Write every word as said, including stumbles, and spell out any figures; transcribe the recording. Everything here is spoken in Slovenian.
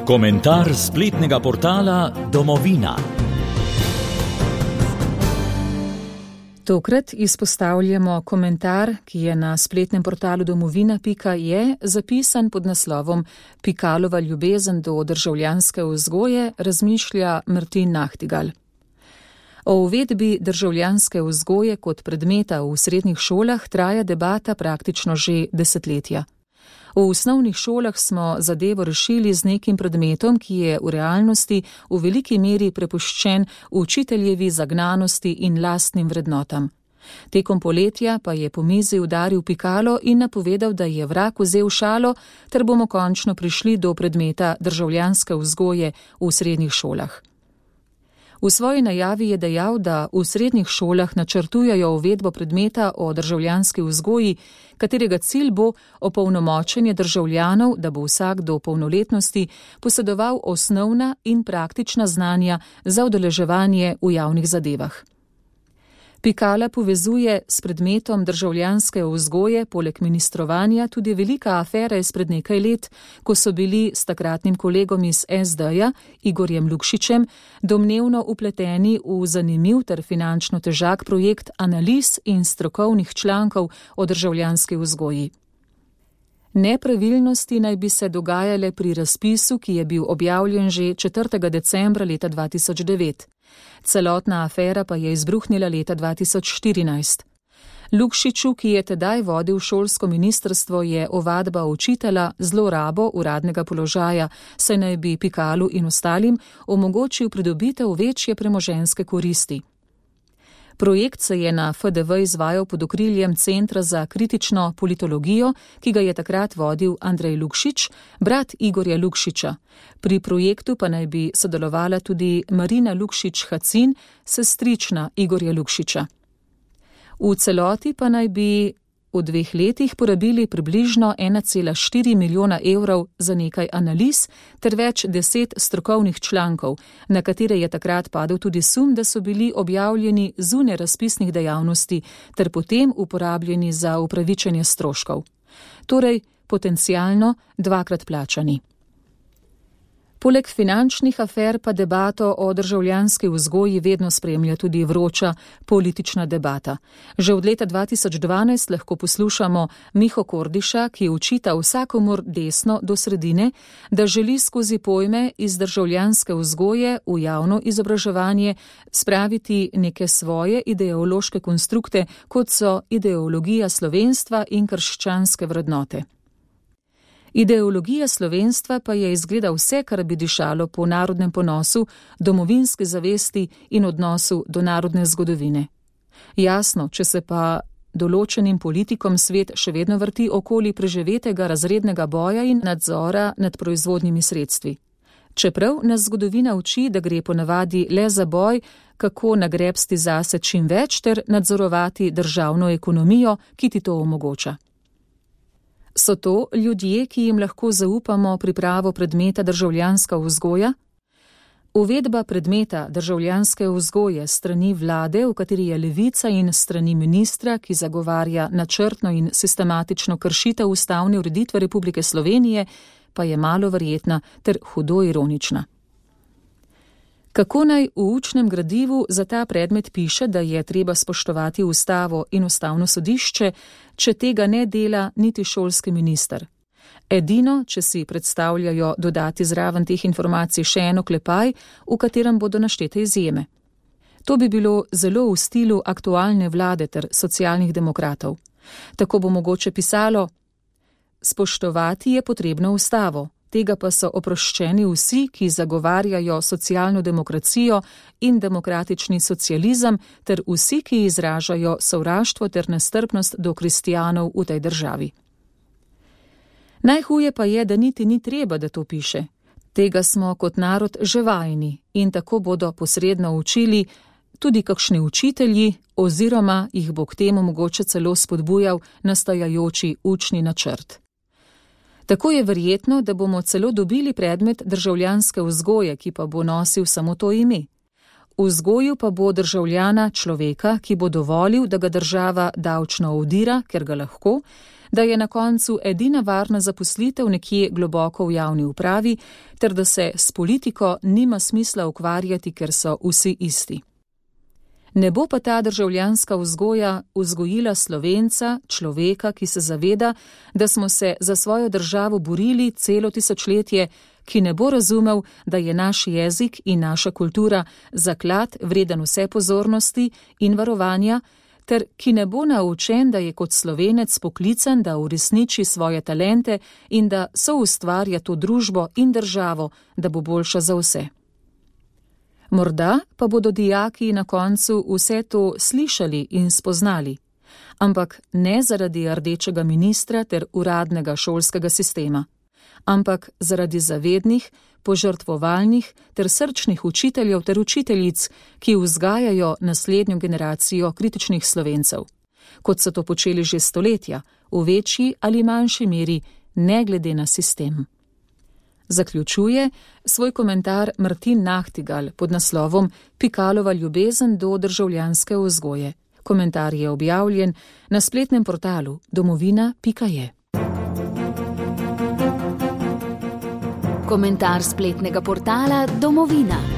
Komentar spletnega portala Domovina. Tokrat izpostavljamo komentar, ki je na spletnem portalu domovina pika je zapisan pod naslovom Pikalova ljubezen do državljanske vzgoje, razmišlja Martin Nahtigal. O uvedbi državljanske vzgoje kot predmeta v srednjih šolah traja debata praktično že desetletja. V osnovnih šolah smo zadevo rešili z nekim predmetom, ki je v realnosti v veliki meri prepuščen učiteljevi zagnanosti in lastnim vrednotam. Tekom poletja pa je po mizi udaril pikalo in napovedal, da je vrag vzel šalo, ter bomo končno prišli do predmeta državljanske vzgoje v srednjih šolah. V svoji najavi je dejal, da v srednjih šolah načrtujejo uvedbo predmeta o državljanski vzgoji, katerega cilj bo opolnomočenje državljanov, da bo vsak do polnoletnosti posedoval osnovna in praktična znanja za udeleževanje v javnih zadevah. Pikala povezuje s predmetom državljanske vzgoje poleg ministrovanja tudi velika afera izpred nekaj let, ko so bili s takratnim kolegom iz es de-ja, Igorjem Lukšičem, domnevno upleteni v zanimiv ter finančno težak projekt analiz in strokovnih člankov o državljanski vzgoji. Nepravilnosti naj bi se dogajale pri razpisu, ki je bil objavljen že četrtega decembra leta dva tisoč devet. Celotna afera pa je izbruhnila leta dva tisoč štirinajst. Lukšiču, ki je tedaj vodil šolsko ministrstvo, je ovadba učitelja zlorabo uradnega položaja, saj naj bi Pikalu in ostalim omogočil pridobitev večje premoženjske koristi. Projekt se je na F D V izvajal pod okriljem Centra za kritično politologijo, ki ga je takrat vodil Andrej Lukšič, brat Igorja Lukšiča. Pri projektu pa naj bi sodelovala tudi Marina Lukšič-Hacin, sestrična Igorja Lukšiča. V celoti pa naj bi v dveh letih porabili približno ena cela štiri milijona evrov za nekaj analiz ter več deset strokovnih člankov, na katere je takrat padel tudi sum, da so bili objavljeni zunaj razpisnih dejavnosti ter potem uporabljeni za upravičenje stroškov. Torej, potencialno dvakrat plačani. Poleg finančnih afer pa debato o državljanski vzgoji vedno spremlja tudi vroča politična debata. Že od leta dva tisoč dvanajst lahko poslušamo Miho Kordiša, ki učita vsakomur desno do sredine, da želi skozi pojme iz državljanske vzgoje v javno izobraževanje spraviti neke svoje ideološke konstrukte, kot so ideologija slovenstva in krščanske vrednote. Ideologija slovenstva pa je izgleda vse, kar bi dišalo po narodnem ponosu, domovinski zavesti in odnosu do narodne zgodovine. Jasno, če se pa določenim politikom svet še vedno vrti okoli preživetega razrednega boja in nadzora nad proizvodnimi sredstvi. Čeprav nas zgodovina uči, da gre ponavadi le za boj, kako nagrebsti zase čim več ter nadzorovati državno ekonomijo, ki ti to omogoča. So to ljudje, ki jim lahko zaupamo pripravo predmeta državljanska vzgoja? Uvedba predmeta državljanske vzgoje strani vlade, v kateri je Levica, in strani ministra, ki zagovarja načrtno in sistematično kršitev ustavne ureditve Republike Slovenije, pa je malo verjetna ter hudo ironična. Kako naj v učnem gradivu za ta predmet piše, da je treba spoštovati ustavo in ustavno sodišče, če tega ne dela niti šolski minister? Edino, če si predstavljajo dodati zraven teh informacij še en oklepaj, v katerem bodo naštete izjeme. To bi bilo zelo v stilu aktualne vlade ter socialnih demokratov. Tako bo mogoče pisalo: spoštovati je potrebno ustavo. Tega pa so oproščeni vsi, ki zagovarjajo socialno demokracijo in demokratični socializem, ter vsi, ki izražajo sovraštvo ter nestrpnost do kristjanov v tej državi. Najhuje pa je, da niti ni treba, da to piše. Tega smo kot narod že vajeni in tako bodo posredno učili tudi kakšni učitelji oziroma jih bo k temu mogoče celo spodbujal nastajajoči učni načrt. Tako je verjetno, da bomo celo dobili predmet državljanske vzgoje, ki pa bo nosil samo to ime. V vzgoju pa bo državljana človeka, ki bo dovolil, da ga država davčno ovdira, ker ga lahko, da je na koncu edina varna zaposlitev nekje globoko v javni upravi, ter da se s politiko nima smisla ukvarjati, ker so vsi isti. Ne bo pa ta državljanska vzgoja vzgojila Slovenca, človeka, ki se zaveda, da smo se za svojo državo borili celo tisočletje, ki ne bo razumel, da je naš jezik in naša kultura zaklad vreden vse pozornosti in varovanja, ter ki ne bo naučen, da je kot Slovenec poklican, da uresniči svoje talente in da soustvarja to družbo in državo, da bo boljša za vse. Morda pa bodo dijaki na koncu vse to slišali in spoznali, ampak ne zaradi rdečega ministra ter uradnega šolskega sistema, ampak zaradi zavednih, požrtvovalnih ter srčnih učiteljev ter učiteljic, ki vzgajajo naslednjo generacijo kritičnih Slovencev, kot so to počeli že stoletja, v večji ali manjši meri, ne glede na sistem. Zaključuje svoj komentar Martin Nachtigal pod naslovom Pikalova ljubezen do državljanske vzgoje. Komentar je objavljen na spletnem portalu domovina pika je. Komentar spletnega portala Domovina.